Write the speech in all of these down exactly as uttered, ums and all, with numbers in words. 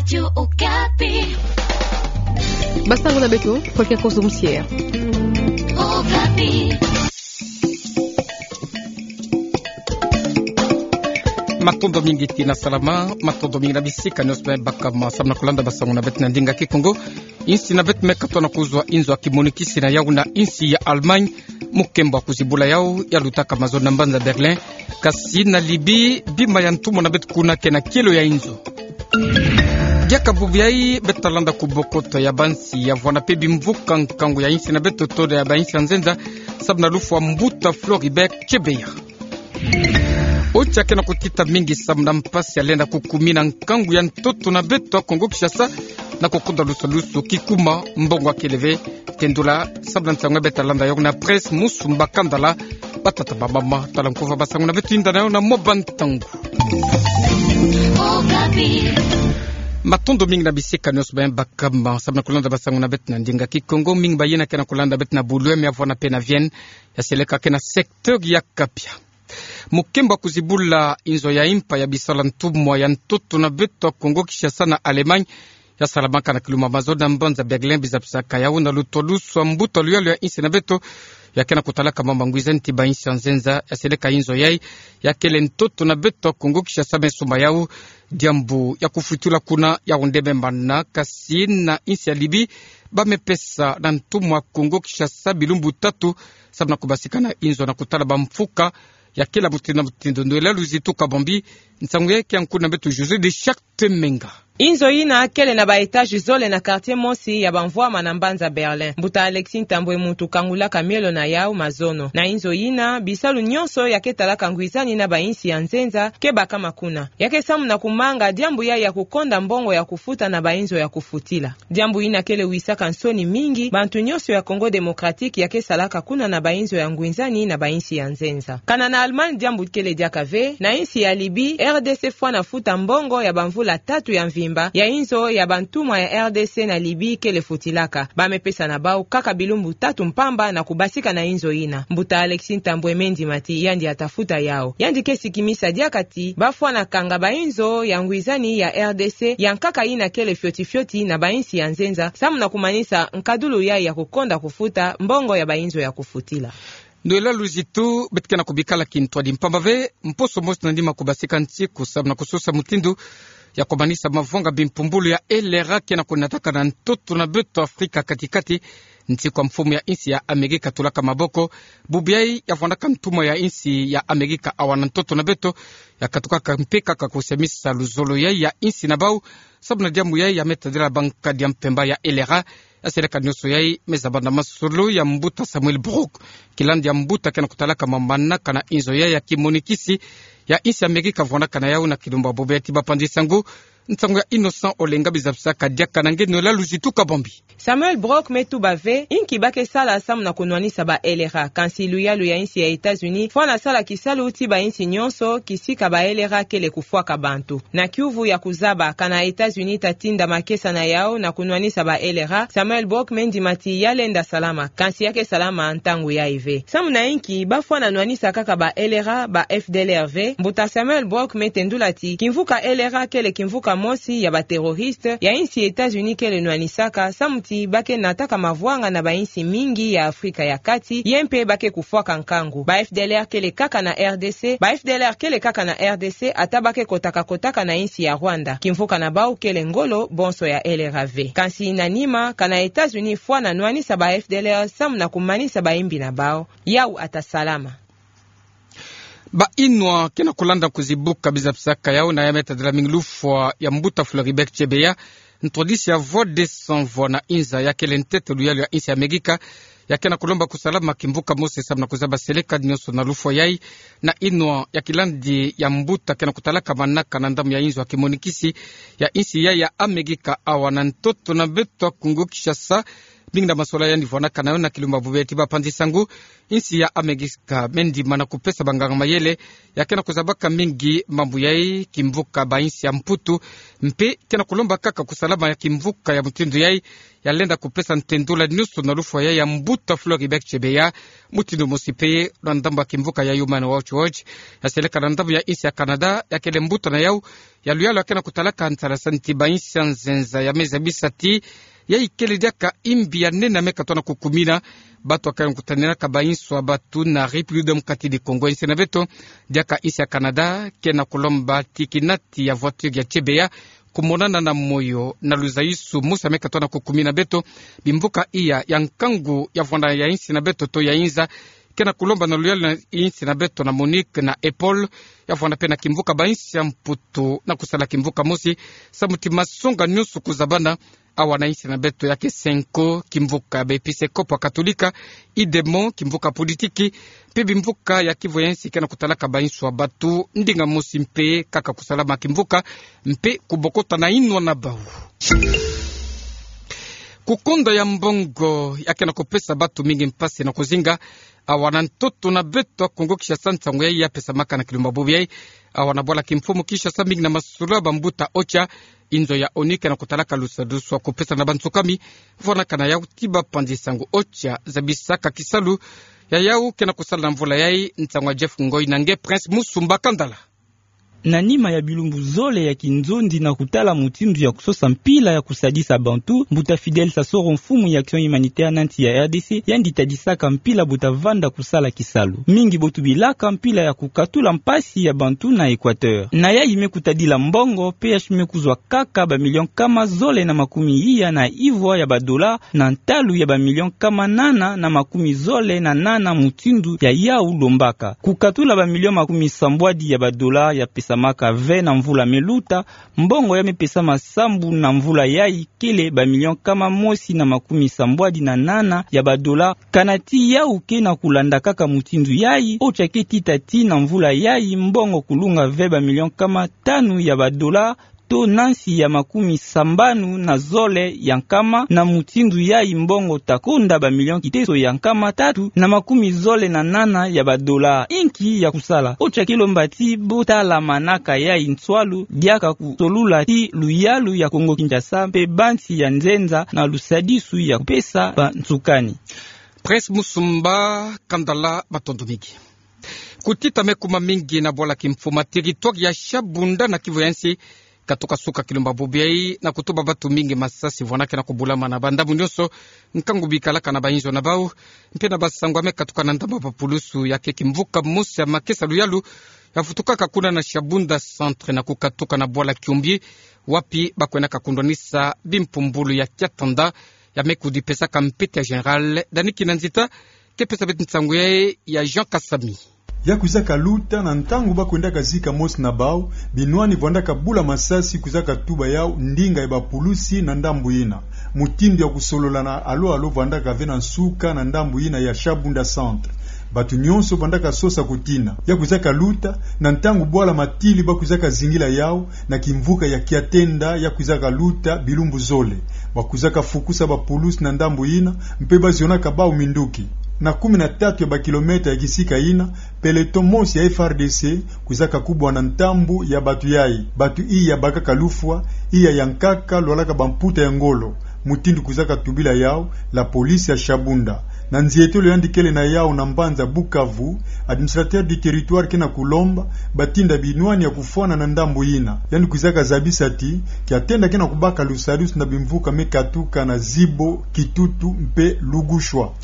Radio Okapi. Basango na beto, Polka Kozumsier. Okapi. Matondo mingi ti na salama, matondo mingi na bisika nyonso baka ma samu na kulanda basango na beto na ndinga Kikongo. Insi na beto me katoa na kuzwa inzo ya kimonikisi na yau na insi ya Allemagne. Mukembo wa kuzibula yau yalutaka mazono na mbanza Berlin. Kasi na Libye, bima ya ntumwa na beto kuna ke na kielo ya inzo. Diaka bubu yai beto talanda kubokoto ya bansi ya vwanda mpe bimvuka nkangu ya insi na beto, toda ya bainsi ya nzenza, samu na lufwa mbuta Floribert Chebeya. Otia ke na kutita mingi samu na mpasi ya lenda kukumina nkangu ya ntoto na beto ya Kongo Kinshasa, na kukonda lusalusu kikuma mbongo ya kele ve. Tendula samu na nsangu ya beto talanda yau na presse, musu mbakandala, batata bamama, tala nkuva basango na beto, yinda na yau na mwa bantangu. Matondo mingi na bisika nyonso baka ma samu na kulanda basango na beto na ndinga Kikongo, mingi bayina ke na kulanda beto na Boulogne, me ya vwanda mpe na Vienne, ya seleka ke na secteur ya Kapia. Mukembo wa kuzibula inzo ya impa ya bisala ntumwa ya ntoto na beto ya Kongo Kinshasa na Allemagne, ya salamaka na kilumbu mazono na mbanza Berlin, bizabisaka yau na lutwadusu wa mbuta luyalu ya insi na beto, ya ke na kutalaka mambu ya ngwizani ti bainsi ya nzenza, ya seleka inzo yai ya kele ntoto na beto ya Kongo Kinshasa me sumba yau diambu ya kufutula kuna. Yau nde me mana, kasi na insi ya Libye, ba me pesa na ntumwa ya Kongo Kinshasa bilumbu tatu, samu na kubasika na inzo na kutala bamfuka ya kele mutindu na mutindu. Noëlla Luzitu Kabambi, nsangu yai ke ya nkundu na beto José de Charte Menga. Inzo yina kele na ba étages zole na quartier mosi ya bamvwama na mbanza Berlin. Mbuta Alexis Ntambwe, muntu kangulaka mielo na yau mazono na inzo yina, bisalu nyonso ya ke talaka ngwizani na bainsi ya nzenza ke bakama kuna. Ya ke samu na kumanga diambu yai ya kukonda mbongo ya kufuta na bainzo ya kufutila. Diambu yina kele wisaka nsoni mingi bantu nyonso ya Congo Démocratique ya ke salaka kuna na bainzo ya ngwizani na bainsi ya nzenza. Kana na Allemagne diambu kele diaka ve, na insi ya Libye, R D C fwana futa mbongo ya bamvula tatu ya mvimba ya inzo ya bantumwa ya R D C na Libye kele futilaka. Ba me pesa na bau kaka bilumbu tatu mpamba na kubasika na inzo yina. Mbuta Alexis Ntambwe me ndima ti yandi ata futa yau. Yandi ke sikimisa diaka ti ba fwana kanga bainzo ya ngwizani ya R D C, ya nkaka yina kele fioti fioti na bainsi ya nzenza, samu na kumanisa nkadulu yai ya kukonda kufuta mbongo ya bainzo ya kufutila. Noëlla Luzitu, beto ke na kubikala kintwadi mpamba ve, mposo mosi na nima kubasika nsiku samu na kusosa mutindu ya kumanisa mavanga bimpumbulu ya L R A ke na kunataka na ntoto na beto Afrika kati-kati, nsiku ya mfumu ya insi ya Amerika tulaka maboko. Bubu yai ya vwandaka ntumwa ya insi ya Amerika awa na ntoto na beto, ya katukaka mpe kaka kusemisa luzolo yai ya insi na bau, samu na diambu yai ya me tadila bankadi ya mpemba ya L R A. Ya seleka nyonso yai me zaba na masolo ya mbuta Samuel Brock, kilandi ya mbuta ke na kutalaka mambu mana kana inzo yai ya kimonikisi ya insi ya Amerika vwandaka na yau na kilumbu bubu yai ti bapanzi nsangu. Nsangu ya Innocent Olenga, bizabisaka diaka na nge Noëlla Luzitu Kabambi. Samuel Brock me tuba ve inki ba ke sala samu na kunwanisa ba L R A, kansi luyalu ya insi ya États-Unis fwana sala kisalu ti bainsi nyonso kisika ba L R A kele kufwaka bantu. Na kiuvu ya kuzaba kana États-Unis ta tinda makesa na yau na kunwanisa ba L R A, Samuel Brock me ndima ti ya lenda salama, kansi ya ke salama ntangu yai ve. Samu na inki ba fwana nwanisa kaka ba L R A, ba F D L R ve? Mbuta Samuel Brock me tendula ti kimvuka L R A kele kimvuka mosi ya ba terroriste ya insi États-Unis kele nwanisaka, samu ti ba ke nataka mavwanga na bainsi mingi ya Afrika ya Kati, ye mpe ba ke kufwaka nkangu. Ba F D L R kele kaka na R D C, ba F D L R kele kaka na R D C, ata ba ke kotaka-kotaka na insi ya Rwanda. Kimvuka na bau kele ngolo, bonso ya L R A ve. Kansi na nima, kana États-Unis fwana nwanisa ba F D L R samu na kumanisa bayimbi na bau. Yau ata salama. Bayinwa ke na kulanda kuzibuka, bizabisaka yau na ya me tadila mingi lufwa ya mbuta Floribert Chebeya, ntwadisi ya Voix des Sans Voix na inza, ya kele ntete luyalu ya insi ya Amerika, ya ke na kulomba kusalama kimvuka mosi samu na kuzaba seleka nyonso na lufwa yai. Na inwa ya kilandi ya mbuta ke na kutalaka manaka na ndambu ya inzo ya kimonikisi ya insi yai ya Amerika awa na ntoto na beto ya Kongo Kinshasa, Mingi na masolo yandi vwanakana yo na kilumbu bubu yayi ti bapanzi sangu. Insi ya Amerika me ndimana kupesa banganga mayele ya ke na kuzabaka mingi mambu yayi, kimvuka bainsi ya Mputu mpe ke na kulomba kaka kusalama ya kimvuka ya mutindu yayi, ya lenda kupesa ntendula nyonso na lufwa yayi ya mbuta Floribert Chebeya. Mutindu mosi mpe na ndambu ya kimvuka ya Human Rights Watch, ya seleka na ndambu ya insi ya Canada, ya kele mbuta na yau ya luyalu ya ke na kutalaka nsalasani ti bainsi ya nzenza, ya me zabisa ti yayi kele diaka imbi ya nene ya me katuana kukumina bantu ya ke na kutaninaka bainsi ya batu na République démocratique du Congo. Insi na beto, diaka insi ya Canada, ke na kulomba ti kinati ya voiture ya Chebeya kumonana na moyo na luzayisu mosi ya me katuana kukumina beto. Bimvuka iya ya nkangu ya vwanda ya insi na beto to ya inza ke na kulomba na luyalu na insi na beto na Monique na Apple, ya vwanda mpe na kimvuka bainsi ya Mputu na kusala kimvuka mosi, samu ti masonga nyonso kuzabana. Awa na insi na beto ya ke Cenco, kimvuka ya baepiskopo ya Katolika, IDEMO, kimvuka politiki, mpe bimvuka ya kivu ya insi ke na kutalaka bainsi ya batu ndinga mosi mpe kaka kusalama kimvuka mpe kubokota na inwa na bau. Kukonda ya mbongo ya ke na kupesa batu mingi mpasi na kuzinga awa na ntoto na beto ya Kongo Kinshasa. Nsangu yayi ya pesamaka na kilumbu bubu yayi awa na bwala kimfumu Kinshasa, mingi na masolo ya bambuta OCHA, inzo ya ONU ke na kutalaka lusadusu ya kupesa na bansukami vwanakana yau ti bapanzi sangu. OCHA zabisaka kisalu ya yau ke na kusala na mvula yayi. Nsangu ya Jeff Ngoi na nge Prince Musumba Kandala. Na nima ya bilumbu zole ya kinzonzi na kutala mutindu ya kusosa mpila ya kusadisa bantu, mbuta Fidèle Sassoro, mfumu ya Action Humanitaire na nsi ya R D C, yandi tadisaka mpila bu tavanda kusala kisalu. Mingi bo tubilaka mpila ya kukatula mpasi ya bantu na Équateur. Na yayi me kutadila mbongo, P H me kuzwa kaka ba millions nkama zole na makumi iya na ivwa ya ba dollars na ntalu ya ba millions nkama nana na makumi zole na nana mutindu ya yau lombaka. Kukatula ba millions makumi sambwadi ya ba dollars ya pesamaka ve na mvula me luta, mbongo ya me pesama sambu na mvula yayi kele ba millions nkama mosi na makumi sambwadi na nana ya ba dollars. Kana ti yau ke na kulanda kaka mutindu yayi, OCHA ke tita ti na mvula yayi mbongo kulunga ve ba millions nkama tanu ya ba dollars, to na nsi ya makumi sambanu na zole ya nkama, na mutindu yayi mbongo ta konda ba millions kiteso ya nkama tatu na makumi zole na nana ya ba dollars. Inki ya kusala? OCHA ke lomba ti bo tala manaka yayi nswalu, diaka kusolula ti luyalu ya Kongo Kinshasa mpe bansi ya nzenza na lusadisu ya kupesa bansukani. Prince Musumba Kandala, matondo mingi. Kutita me kuma mingi na bwala kimfumu, territoire ya Shabunda na Kivu ya nsi, katuka suka kilumbu bubu yayi na kutuba bantu mingi masasi vwana ke na kubulama na bandambu nyonso, nkangu bikalaka na bayinzo na bau, mpe na basangu ya me katuka na ndambu ya bapulusu ya ke kimvuka mosi ya makesa luyalu ya vutukaka kuna na Shabunda Centre na kukatuka na bwala Kiombi, wapi bakwendaka kundwanisa bimpumbulu ya kiatanda ya me kudipesaka mpete ya général. Dani Kinanzita ke pesa beto nsangu yayi ya Jean Kasami. Ya kwizaka luta na ntangu bakwendaka zika mosi na bau, binwani vwandaka bula masasi, kwizaka tuba yau ndinga ya bapulusi na ndambu yina. Mutindu ya kusolola na alo alo vwandaka ve na nsuka na ndambu yina ya Shabunda Centre. Bantu nyonso vwandaka sosa kutina. Ya kwizaka luta na ntangu bwala matili bakwizaka zingila yau na kimvuka ya Kiatenda, ya kwizaka luta bilumbu zole. Bakwizaka fukusa bapulusi na ndambu yina, mpe bazionaka bau minduki. Na kumi na tatu ya bakilomètre ya kisika yina, peloton mosi ya F R D C kwizaka kubwa na ntambu ya bantu yayi. Bantu iya bakaka lufwa, iya ya nkaka lwalaka bamputa ya ngolo, mutindu kwizaka tubila yau la police ya Shabunda. Na nzietolo yandi kele na yau na mbanza Bukavu, administrateur du territoire ke na kulomba batinda binwani ya kufwana na ndambu yina. Yandi kwizaka zabisa ti Kiatenda ke na kubaka lusadisu na bimvuka me katuka na Zibo, Kitutu mpe Lugushwa.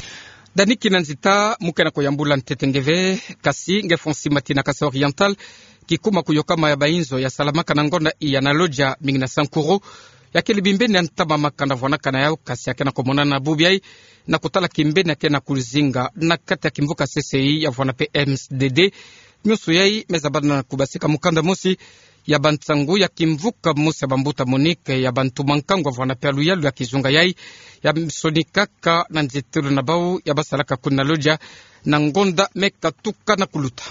Dani Kinanzita, mu ke na kuyambula ntete nge ve, kasi nge Fonsi Matina, Kasaï Oriental, kikuma kuyokama ya bayinzo ya salamaka na ngonda iya na lodja mingi na Sankuru, ya kele bimbeni ya ntama makanda vwanakana yau, kasi ya ke na kumonana bubu yayi na kutala kimbeni ya ke na kuzinga na kati ya kimvuka C C I ya vwana mpe M D D. Nyonso yayi me zabana na kubasika mukanda mosi ya bansangu ya kimvuka mosi ya bambuta Monique ya bantu mankangu ya vwana mpe ya luyalu ya kizunga yayi, ya sonikaka na nzietolo na bau ya basalaka kuna na lodja na ngonda me katuka na kuluta.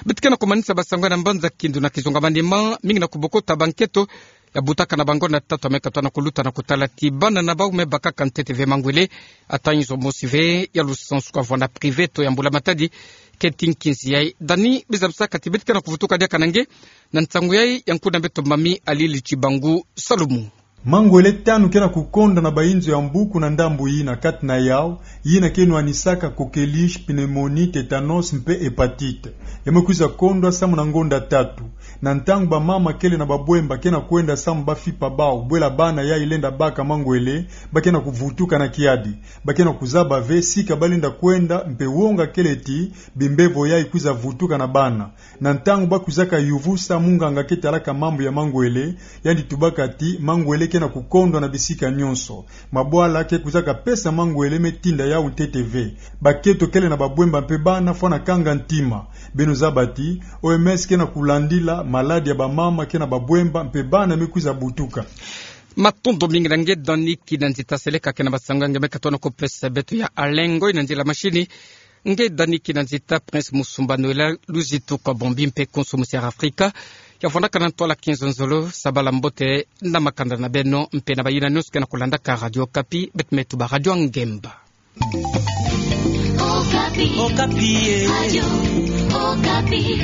Beto ke na kumanisa basangu ya na mbanza Kindu na kizunga Maniema, mingi na kubokota banketo ya butaka na bango na tatu ya me katoa na kuluta na kotala ti bana na bau me bakaka ntete ve mangwele. Ata nzo mosi ve ya lusansu kavwanda privé to ya mbula matadi keti nkinzi yai. Dani biza bisaka ti beti kena kuvutuka diaka na nge na ntangu yai ya nkuna beto mami Alili Tibangu Salumu. Mangwele tanu kena kukonda na bainzo ya mbuku na ndambu yina, kati na yau yina ke nwanisaka coqueluche, pneumonie, tétanos mpe hépatite. Ya me kwiza kondwa samu na ngonda tatu. Na ntangu bamama kele na babwemba kena kwenda samu bafipa bau bwela bana yai lenda baka mangwele, ba kena kuvutuka na kiadi. Ba kena kuzaba ve sika ba lenda kwenda mpe wonga kele ti bimbevo yai kwiza vutuka na bana. Na ntangu ba kwizaka yuvusa munganga ke talaka mambu ya mangwele, yandi tubaka ti mangwele kena kukondwa na bisika nyonso. Mabwala ke kwizaka pesa mangwele me tinda yau ntete ve. Bakento kele na babwemba mpe bana fwana kanga ntima. Beno zaba ti O M S kena kulandila maladi ya bamama kena babwemba mpe bana me kwiza butuka. Matondo mingi na nge Dani Kinanzita, seleka kena basango ya nge me katoa na kupesa beto ya alengo ina nzila mashini. Nge Dani Kinanzita, Prince Musumba Noël, luzitu kwa bombi mpe konso musiara Afrika. Ya vwandaka na ntwala kinzonzolo, sabala mbote na makanda na beno mpe na bayina nyonso kena kulandaka Radio Okapi, beto me tuba Radio Ngemba. Okapi. Okapi, eh. Radio Okapi.